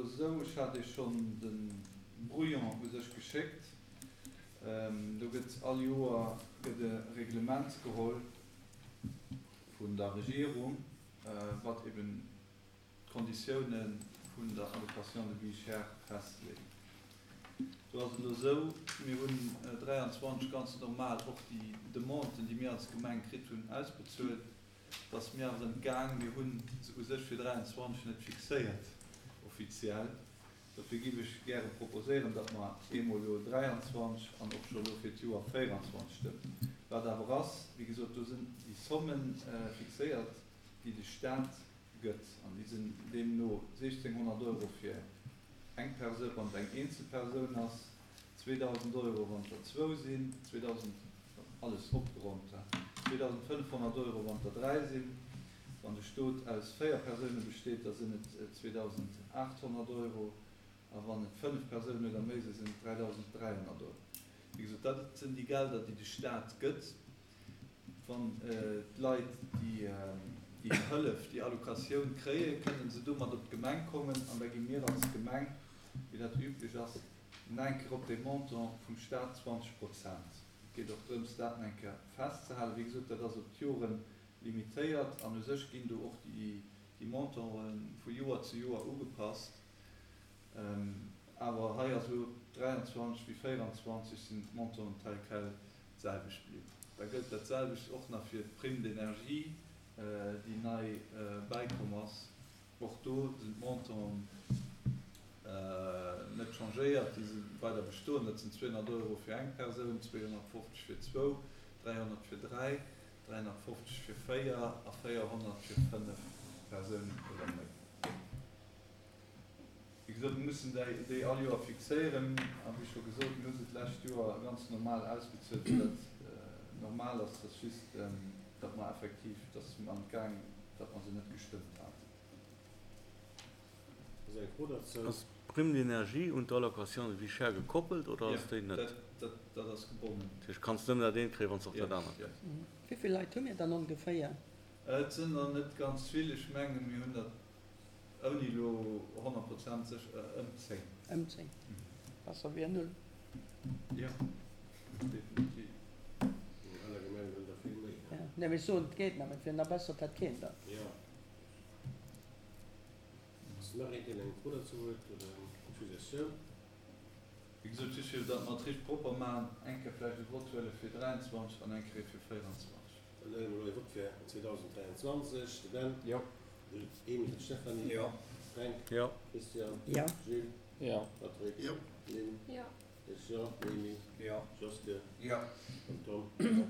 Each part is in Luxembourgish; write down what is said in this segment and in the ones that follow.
esou, ech hat Iech schonn de Brouillon u sech geschéckt, do gëtt all Joer gëtt e Reglement geholl vun der Regierung, wat eben d'Konditioune vun der Allocation de vie chère festleet. Do ass et elo esou, mir hunn 23 ganz normal och déi Demanden, déi mir als Gemeng kritt hunn, ausbezuelt. Et ass mir awer entgaang, mir hu se u sech fir 23 net fixéiert offiziell. Dofir giff ech gäre proposéieren, datt mer eemol elo 23 an och scho elo fir d'Joer 24 stëmmen. Wat awer ass, wéi gesot, do sinn déi Somme fixéiert, déi de Stat gëtt, an déi sinn deemno 1.600 Euro fir eng Persoun, wann et eng eenzel Persoun ass, 2.000 Euro, wann et der zwou sinn, 2.000, alles opgeronnt, 2.500 Euro, wann et der dräi sinn. Wann de Stot aus véier Persoune besteet, da sinn et 2.800 Euro, a wann et fënnef Persounen oder méi sinn, sinn et 3.300 Euro. Wéi gesot, dat sinn déi Gelder, déi de Stat gëtt. Wann d'Leit déi Hëllef, déi Allocatioun kréien, kënnen se domat op d'Gemeng kommen an da gi mir als Gemeng, wéi dat üblech ass, nach eng Kéier op dee Montant vum Stat 20 Prozent. Et geet och drëms, dat nach eng Kéier festzehalen. Wéi gesot, dat ass op d'Jore limitéiert an u sech ginn do och déi Montante vu Joer zu Joer ugepasst. Awer hei ass elo 23 wéi 24 sinn d'Montanten tel quel d'selwecht bliwwen. Da gëllt dat selwecht och nach fir d'Prime d'énergie, déi nei bäikomm ass. Och do sinn d'Montanten net changéiert, déi si weider bestoen. Dat sinn 200 Euro fir eng Persoun, 250 fir zwou, 300 fir dräi, 350 fir véier a 400 fir fënnef Persounen oder méi. Wéi gesot, mir mussen déi all Joer fixéieren. A wéi scho gesot, mir hu se d'lescht Joer ganz normal ausbezuelt, wéi dat normal ass. Et ass just, datt mer effektiv, et ass mer entgaang, datt mer se net gestëmmt haten. Ass eng Fro derzou? Ass d'Prime d'énergie un d'Allocation de vie chère gekoppelt oder ass déi net? Jo, dat ass gebonnen. Dat heescht, kanns nëmmen dat eent kréien, wann s de och dat anert kriss? Wéi vill Leit hu mir dann ongeféier? Et sinn der net ganz vill. Ech mengen, mir hunn der Ouni elo 100 Prozent sécher, ëm 10. Ëm 10. Besser wéi null. Jo, definitiv. An aner Gemengen hunn der vill méi. Jo, nee, mee ech soen, et geet nach, mee et wier nach besser, et hätt keen der. Jo. Ass nach een, deen eng Fro dozou huet oder eng Suggestioun? Wéi gesot, just fir datt mer et richteg propper maachen, eng Kéier vläicht e Vott huele fir 23 an eng Kéier fir 24. Dann huele mer elo e Vott fir 2023. De Ben? Jo. De Emil? D'Stéphanie? Jo. Fränk? Jo. Christian? Jo. Jules? Jo. Patrick? Jo. Lynn? Jo. Ech jo. Noémie? Jo. Joske? Jo. An Tom? Jo.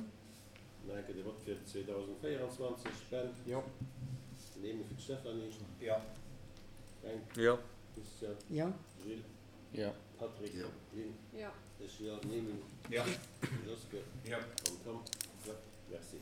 Nach eng Kéier de Vott fir 2024. Ben? Jo. Den Emil fir d'Stéphanie? Jo. Fränk? Jo. Christian? Jo. Jules? Jo. Patrick? Jo. Lynn? Jo. Ech jo. Noémie? Jo. Joske? Jo. An Tom? Jo. Merci.